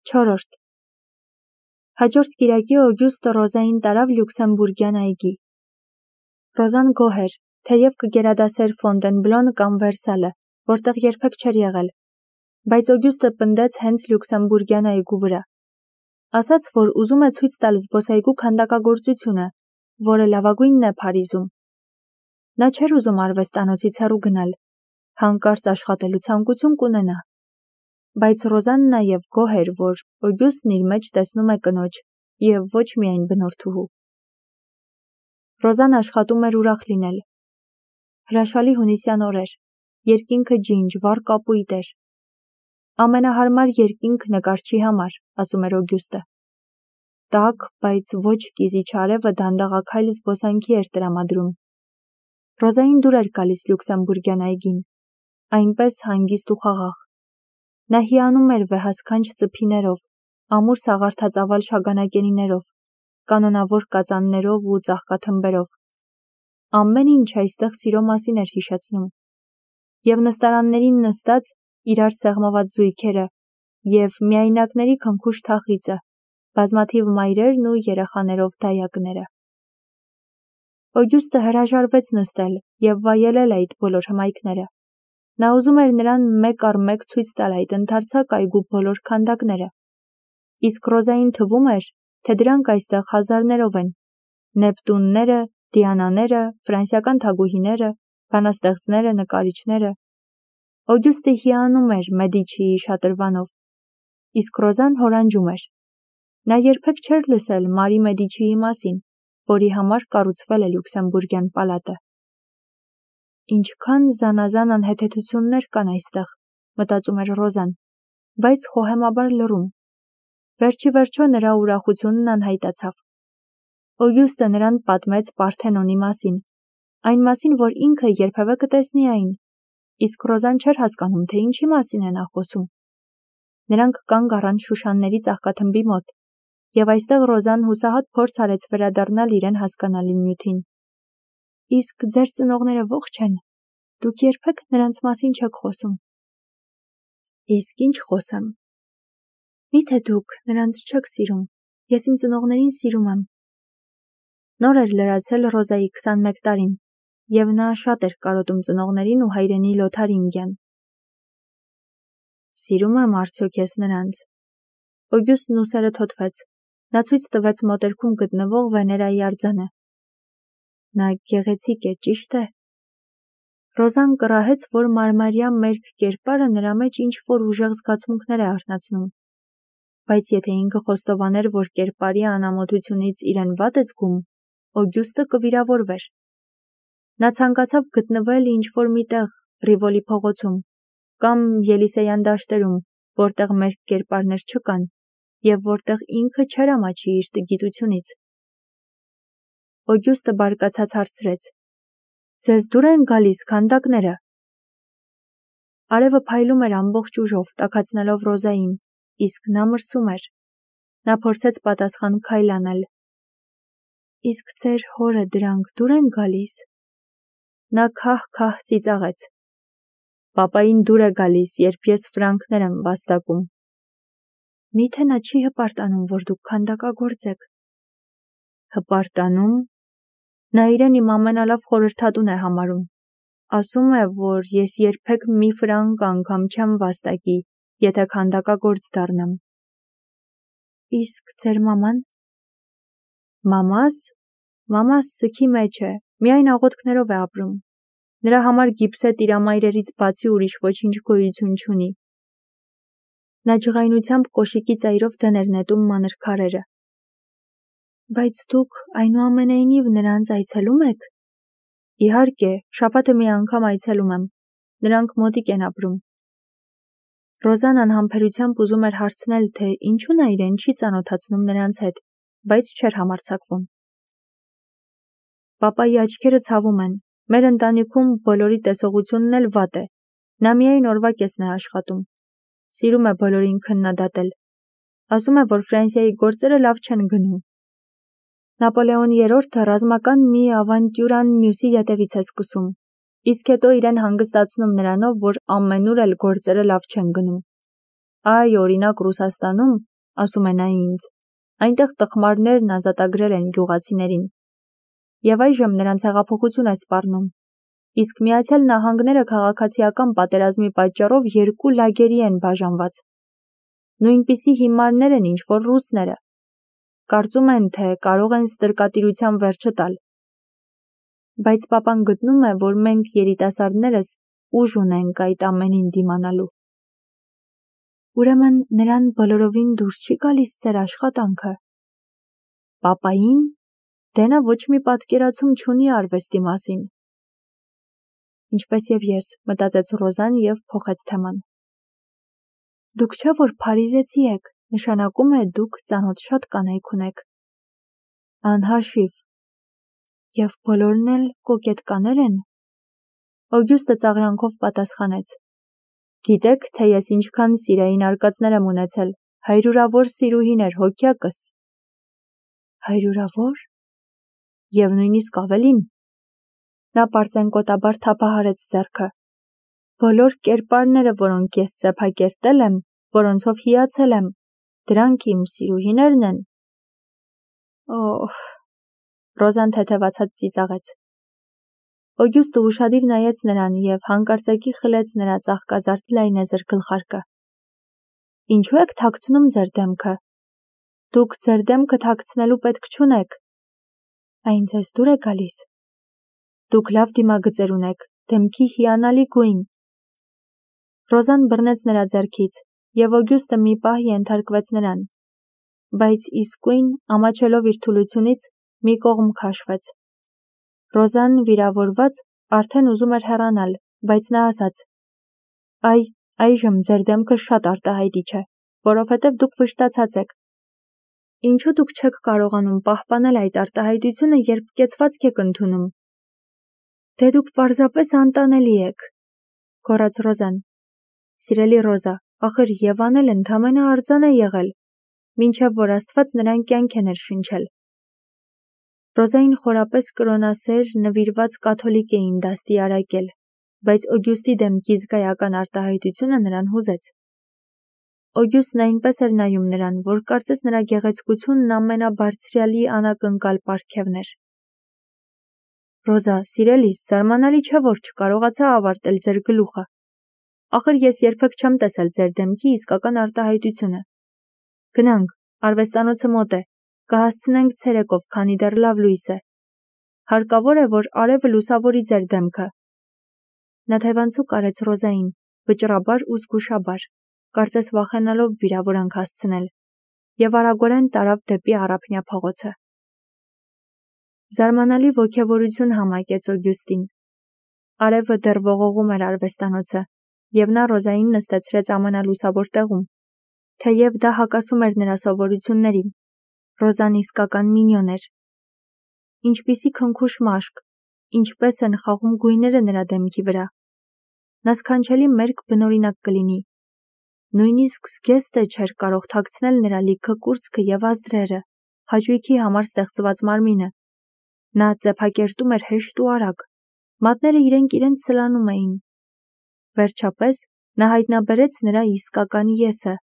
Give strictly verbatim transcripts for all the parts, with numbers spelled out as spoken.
Չորրորդ Հաջորդ կիրակի Օգյուստը Ռոզային տարավ Լյուքսեմբուրգյան այգի։ Ռոզան գոհ էր, թեև կգերադասեր Ֆոնտենբլոն կամ Վերսալը, որտեղ երբեք չէր եղել, բայց Օգյուստը պնդեց հենց Լյուքսեմբուրգյան այգու վրա։ Ասաց, որ ուզում է ցույց տալ զբոսայգու քանդակագործությունը, որը լավագույնն է Փարիզում։ Նա չէր ուզում արվեստանոցից հեռու գնալ, հանկարծ աշխատելու ցանկություն կունենա։ Բայց Ռոզան նաև գոհ էր, որ Օգյուստն իր մեջ տեսնում է կնոջ և ոչ միայն բնորդուհու։ Ռոզան աշխատում էր ուրախ լինել։ Հրաշալի հունիսյան օր էր, երկինքը ջինջ, վառ կապույտ էր։ Ամենահարմար երկինք նկարչի համար, ասում էր Օգյուստը։ Տաք, բայց ոչ կիզիչ արևը դանդաղաքայլ զբոսանքի էր տրամադրում։ Ռոզային դուր էր գալիս Լյուքսեմբուրգյան այգին, այնպես հանգիստ ու խաղաղ։ Նա հիանում էր վեհասքանչ ծփիներով, ամուր սաղարթածավալ շագանակենիներով, կանոնավոր կածաններով ու ծաղկաթմբերով։ Ամեն ինչ այստեղ սիրո մասին էր հիշեցնում։ Եվ նստարաններին նստած իրար սեղմված զույգերը, և միայնակների քնքուշ թախիծը, բազմաթիվ մայրերն ու երեխաներով դայակները։ Օգյուստը հրաժարվեց նստել և վայելել այդ բոլոր հմայքները։ Նա ուզում էր նրան մեկ առ մեկ ցույց տալ այդ ընդարձակ այգու բոլոր քանդակները։ Իսկ Ռոզային թվում էր, թե դրանք այստեղ հազարներով են. Նեպտունները, Դիանաները, ֆրանսիական թագուհիները, բանաստեղծները, նկարիչները։ Օգյուստը հիանում էր Մեդիչիի շատրվանով, իսկ Ռոզան հորանջում էր։ Նա երբեք չէր լսել Մարի Մեդիչիի մասին, որի համար կառուցվել է Լյուքսեմբուրգյան պալատը։ Ինչքան զանազան անհեթեթություններ կան այստեղ, մտածում էր Ռոզան, բայց խոհեմաբար լռում։ Վերջի վերջո նրա ուրախությունն անհայտացավ։ Օգյուստը նրան պատմեց Պարթենոնի մասին, այն մասին, որ ինքը երբևէ կտեսնի այն, իսկ Ռոզան չէր հասկանում, թե ինչի մասին է նա խոսում։ Նրանք կանգ առան Շուշանների ծաղկաթմբի մոտ, և այստեղ Ռոզան հուսահատ փորձ արեց վերադառնալ իրեն հասկանալի նյութին։ Իսկ ձեր ծնողները ողջ են, դուք երբեք նրանց մասին չեք խոսում։ Իսկ ինչ խոսեմ։ Միթե դուք նրանց չեք սիրում, ես իմ ծնողներին սիրում եմ։ Նոր էր լրացել Ռոզայի քսանմեկ տարին, և նա շատ էր կարոտում ծնողներին ու հայրենի Լոթարինգյան։ Սիրում եմ արդյոք ես նրանց։ Օգյուստն ուսերը թոթվեց։ Նա ցույց տվեց մոտերքում գտնվող Վեներայի արձանը։ Նա գեղեցիկ է, ճիշտ է։ Ռոզան կռահեց, որ մարմարյա մերկ կերպարը նրա մեջ ինչ-որ ուժեղ զգացմունքներ է արթնացնում։ Բայց եթե ինքը խոստովաներ, որ կերպարի անամոթությունից իրեն վատ է զգում, Օգյուստը կվիրավորվեր։ Նա ցանկացավ գտնվել ինչ-որ մի տեղ Ռիվոլի փողոցում կամ Ելիսեյան դաշտերում, որտեղ մերկ կերպարներ չկան, և որտեղ ինքը չէր ամաչի իր տգիտությունից։ Օգյուստը բարկացած հարցրեց. Ձեզ դուր են գալիս քանդակները։ Արևը փայլում էր ամբողջ ուժով, տաքացնելով Ռոզային, իսկ նա մրսում էր։ Նա փորձեց պատասխան քայլ անել։ Իսկ ձեր հորը դրանք դուր են գալիս։ Նա քահ-քահ ծիծաղեց։ Պապային դուր է գալիս, երբ ես ֆրանկներ եմ վաստակում։ Միթե նա չի հպարտանում, որ դուք քանդակագործ եք։ Հպարտանում։ Նա իրեն իմ ամենալավ խորհրդատուն է համարում։ Ասում է, որ ես երբեք մի ֆրանկ անգամ չեմ վաստակի, եթե քանդակագործ դառնամ։ Իսկ ձեր մաման։ Մամաս։ Մամաս սգի մեջ է, միայն աղոթքներով է ապրում։ Նրա համար գիպսե տիրամայրերից բացի ուրիշ ոչինչ գոյություն չունի։ Նա ջղայնությամբ կոշիկի ծայրով դեն էր նետում մանր քարերը։ Բայց դուք այնուամենայնիվ նրանց այցելում եք։ Իհարկե, շաբաթը մի անգամ այցելում եմ։ Նրանք մոտիկ են ապրում։ Ռոզան անհամբերությամբ ուզում էր հարցնել, թե ինչու նա իրեն չի ծանոթացնում նրանց հետ, բայց չէր համարձակվում։ Պապայի աչքերը ցավում են։ Մեր ընտանիքում բոլորի տեսողությունն էլ վատ է։ Նա միայն օրվա կեսն է աշխատում։ Սիրում է բոլորին քննադատել։ Ասում է, որ Ֆրանսիայի գործերը լավ չեն գնում։ Նապոլեոն երրորդը ռազմական մի ավանտյուրան մյուսի ետևից է սկսում, իսկ հետո իրեն հանգստացնում նրանով, որ ամենուր էլ գործերը լավ չեն գնում։ Այ, օրինակ Ռուսաստանում ասում է նա ինձ, այնտեղ տխմարներն ազատագրել են գյուղացիներին։ Եվ այժմ նրանց հեղափոխություն է սպառնում։ Իսկ Միացյալ Նահանգները քաղաքացիական պատերազմի պատճառով երկու լագերի են բաժանված։ Նույնպիսի հիմարներ են ինչ-որ ռուսները։ Կարծում են, թե կարող են ստրկատիրության վերջը տալ։ Բայց պապան գտնում է, որ մենք երիտասարդներս ուժ ունենք այդ ամենին դիմանալու։ Ուրեմն նրան բոլորովին դուրս չի գալիս ձեր աշխատանքը։ Պապային, դե նա ոչ մի պատկերացում չունի արվեստի մասին։ Ինչպես եւ ես, մտածեց Ռոզան եւ փոխեց թեման։ Դուք չէ՞ որ փարիզեցի եք, նշանակում է դուք ծանոթ շատ կանայք ունեք։ Անհաշիվ։ Եվ բոլորն էլ կոկետկաներ են։ Օգյուստը ծաղրանքով պատասխանեց. Գիտեք, թե ես ինչքան սիրային արկածներ եմ ունեցել, հայրուրավոր սիրուհիներ հոգյակս։ Հայրուրավոր։ Եվ նույնիսկ ավելին։ Նա պարծենկոտաբար թափահարեց ձեռքը։ Բոլոր կերպարները, որոնք ես ծեփակերտել եմ, որոնցով հիացել եմ, դրանք իմ սիրուհիներն են։ Օհ։ Ռոզան թեթևացած ծիծաղեց։ Օգյուստը ուշադիր նայեց նրան եւ հանկարծակի խլեց նրա ծաղկազարդ լայնեզր գլխարկը։ Ինչու եք թաքցնում ձեր դեմքը։ Դուք ձեր դեմքը թաքցնելու պետք չունեք։ Այն ձեզ դուր է գալիս։ Դուք լավ դիմագծեր ունեք, դեմքի հիանալի գույն։ Ռոզան բռնեց նրա ձեռքից, եւ Օգյուստը մի պահ ենթարկվեց նրան, բայց իսկույն, ամաչելով իր թուլությունից, մի կողմ քաշվեց։ Ռոզան, վիրավորված, արդեն ուզում էր հեռանալ, բայց նա ասաց. Այ, այժմ ձեր դեմքը շատ արտահայտիչ է, որովհետև դուք վշտացած եք։ Ինչու դուք չեք կարողանում պահպանել այդ արտահայտությունը, երբ կեցվածք եք ընդունում։ Դե դուք պարզապես անտանելի եք, գոռաց Ռոզան։ Սիրելի Ռոզա, ախր Եվան էլ ընդամենը արձան է եղել, մինչև որ Աստված նրան կյանք է ներշնչել։ Ռոզային խորապես կրոնասեր, նվիրված կաթոլիկ էին դաստիարակել, բայց Օգյուստի դեմքի զգայական արտահայտությունը նրան հուզեց։ Օգյուստն այնպես էր նայում նրան, որ կարծես նրա գեղեցկությունն ամենաբարձրյալի անակնկալ պարգևն էր։ Ռոզա, սիրելիս, զարմանալի չէ, որ չկարողացա ավարտել ձեր գլուխը։ Ախր ես երբեք չեմ տեսել ձեր դեմքի իսկական արտահայտությունը։ Գնանք, արվեստանոցը մոտ է, կհասցնենք ցերեկով, քանի դեռ լավ լույս է։ Հարկավոր է, որ արևը լուսավորի ձեր դեմքը։ Նա թևանցուկ արեց Ռոզային, վճռաբար ու զգուշաբար, կարծես վախենալով վիրավորանք հասցնել, եւ արագորեն տարավ դեպի Առափնյա փողոցը։ Զարմանալի ոգևորություն համակեց Օգյուստին։ Արևը դեռ ողողում էր արվեստանոցը, եւ նա Ռոզային նստեցրեց ամենալուսավոր տեղում, թեև դա հակասում էր նրա սովորություններին։ Ռոզան իսկական մինյոն էր։ Ինչպիսի քնքուշ մաշկ, ինչպես են խաղում գույները նրա դեմքի վրա։ Նա սքանչելի մերկ բնօրինակ կլինի։ Նույնիսկ զգեստը չէր կարող թաքցնել նրա լիքը կուրծքը եւ ազդրերը, հաճույքի համար ստեղծված մարմինը։ Նա ծեփակերտում էր հեշտ ու արագ, մատները իրենք իրենց սլանում էին։ Վերջապես նա հայտնաբերեց նրա իսկական եսը։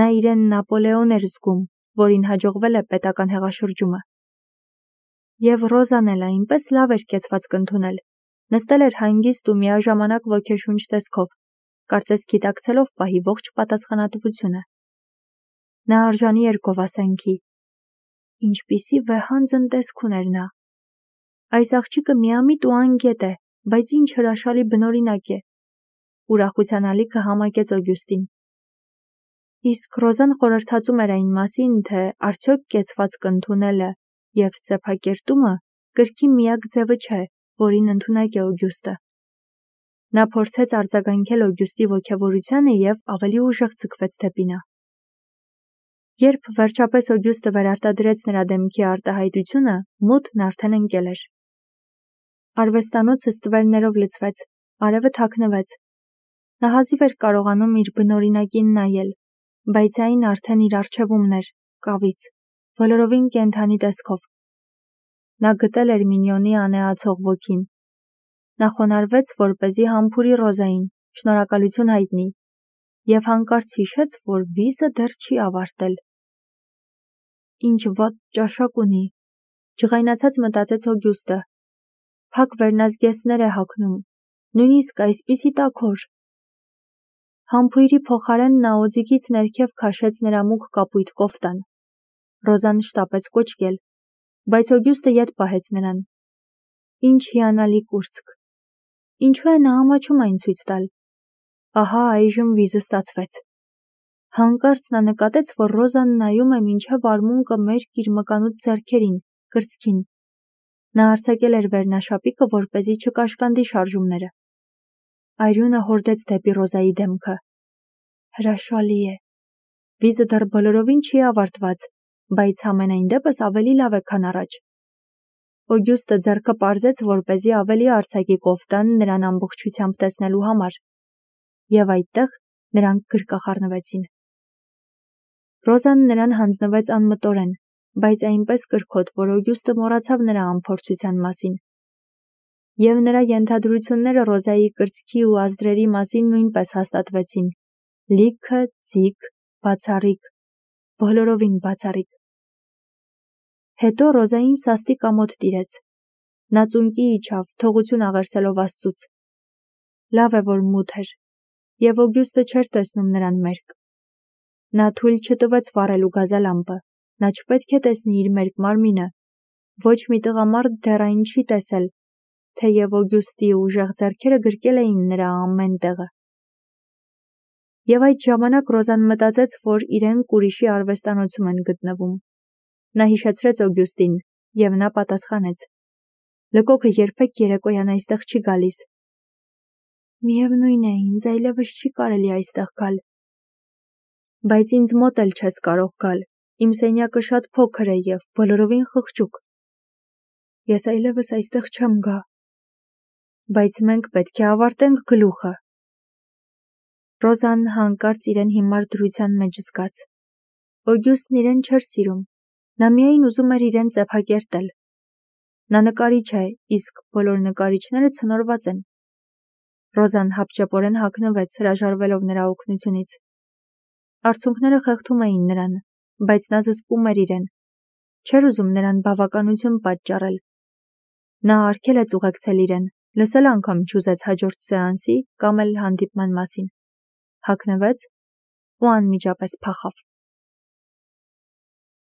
Նա իրեն Նապոլեոն էր զգում, որին հաջողվել է պետական հեղաշրջումը։ Եվ Ռոզան էլ այնպես լավ էր կեցվածք ընդունել, նստել էր հանգիստ ու միաժամանակ ոգեշունչ տեսքով, կարծես գիտակցելով պահի ողջ պատասխանատվությունը։ Նա արժանի էր գովասենքի։ Ինչպիսի վեհանձն տեսք ուներ նա։ Այս աղջիկը միամիտ ու անգետ է, բայց ինչ հրաշալի բնօրինակ է։ Ուրախության ալիքը համակեց Օգյուստին։ Իսկ Ռոզան խորհրդածում էր այն մասին, թե արդյոք կեցվածք ընդունելը եւ ծեփակերտումը կրքի միակ ձևը չէ, որին ընդունակ է Օգյուստը։ Նա փորձեց արձագանքել Օգյուստի ոգևորությանը եւ ավելի ուժեղ ձգվեց դեպի նա։ Երբ վերջապես Օգյուստը վերարտադրեց նրա դեմքի արտահայտությունը, մութն արդեն ընկել էր։ Արվեստանոցը ստվերներով լցվեց, արևը թաքնվեց։ Նա հազիվ էր կարողանում իր բնօրինակին նայել, բայց այն արդեն իր առջևումն էր, կավից, բոլորովին կենդանի տեսքով։ Նա գտել էր մինյոնի անեացող ոգին։ Նա խոնարհվեց, որպեսզի համբուրի Ռոզային, շնորհակալություն հայտնի, եւ հանկարծ հիշեց, որ վիզը դեռ չի ավարտել։ Ինչ վատ ճաշակ ունի, ջղայնացած մտածեց Օգյուստը, փակ վերնազգեստներ է հագնում, նույնիսկ այսպիսի տաքոր։ Համբույրի փոխարեն նա օձիքից ներքև քաշեց նրա մուգ կապույտ կոֆտան։ Ռոզան շտապեց կոչկել, բայց Օգյուստը ետ պահեց նրան։ Ինչ հիանալի կուրծք։ Ինչու է նա ամաչում այն ցույց տալ։ Ահա այժմ վիզը ստացվեց։ Հանկարծ նա նկատեց, որ Ռոզան նայում է մինչև արմունկը մերկ իր մկանուտ ձեռքերին, կրծքին։ Նա արձակել էր վերնաշապիկը, որպեսզի չկաշկանդի շարժումները։ Այրյունը հորդեց դեպի Ռոզայի դեմքը։ Հրաշալի է։ Վիզը դեռ բոլորովին չի ավարտված, բայց համենայն դեպս ավելի լավ է, քան առաջ։ Օգյուստը ձեռքը պարզեց, որպեսզի ավելի արձակի կոֆտան նրան ամբողջությամբ տեսնելու համար, եւ այդտեղ նրանք գրկախառնվեցին։ Ռոզան նրան հանձնվեց անմտորեն, բայց այնպես կրքոտ, որ Օգյուստը մոռացավ նրա անփորձության մասին։ Եվ նրա ենթադրությունները Ռոզայի կրծքի ու ազդրերի մասին նույնպես հաստատվեցին։ Լիքը, ձիգ, բացառիկ, բոլորովին բացառիկ։ Հետո Ռոզային սաստիկ ամոթ տիրեց։ Նա ծունկի իջավ, թողություն աղերսելով Աստծուց։ Լավ է, որ մութ էր, եւ Օգյուստը չէր տեսնում նրան մերկ։ Նա թույլ չտվեց վառելու գազալամպը, նա չպետք է տեսնի իր մերկ մարմինը։ Ոչ մի տղամարդ դեռ այն չի տեսել, թեև Օգյուստի ուժեղ ձեռքերը գրկել էին նրա ամեն տեղը։ Եվ այդ ժամանակ Ռոզան մտածեց, որ իրենք ուրիշի արվեստանոցում են գտնվում։ Նա հիշեցրեց Օգյուստին, եւ նա պատասխանեց. Լկոքը երբեք երեկոյան այստեղ չի գալիս։ Միևնույն է, ինձ այլևս չի կարելի այստեղ գալ։ Բայց ինձ մոտ էլ չես կարող գալ։ Իմ սենյակը շատ փոքր է եւ բոլորովին խղճուկ։ Ես այլևս այստեղ չեմ գա։ Բայց մենք պետք է ավարտենք գլուխը։ Ռոզան հանկարծ իրեն հիմար դրության մեջ զգաց։ Օգյուստն իրեն չէր սիրում։ Նա միայն ուզում էր իրեն ծեփակերտել։ Նա նկարիչ է, իսկ բոլոր նկարիչները ցնորված են։ Ռոզան հապճեպորեն հագնվեց, հրաժարվելով նրա օգնությունից։ Արցունքները խեղդում էին նրան, բայց նա զսպում էր իրեն։ Չէր ուզում նրան բավականություն պատճառել։ Նա արգելեց ուղեկցել իրեն, լսել անգամ չուզեց հաջորդ սեանսի կամ էլ հանդիպման մասին։ Հագնվեց ու անմիջապես փախավ։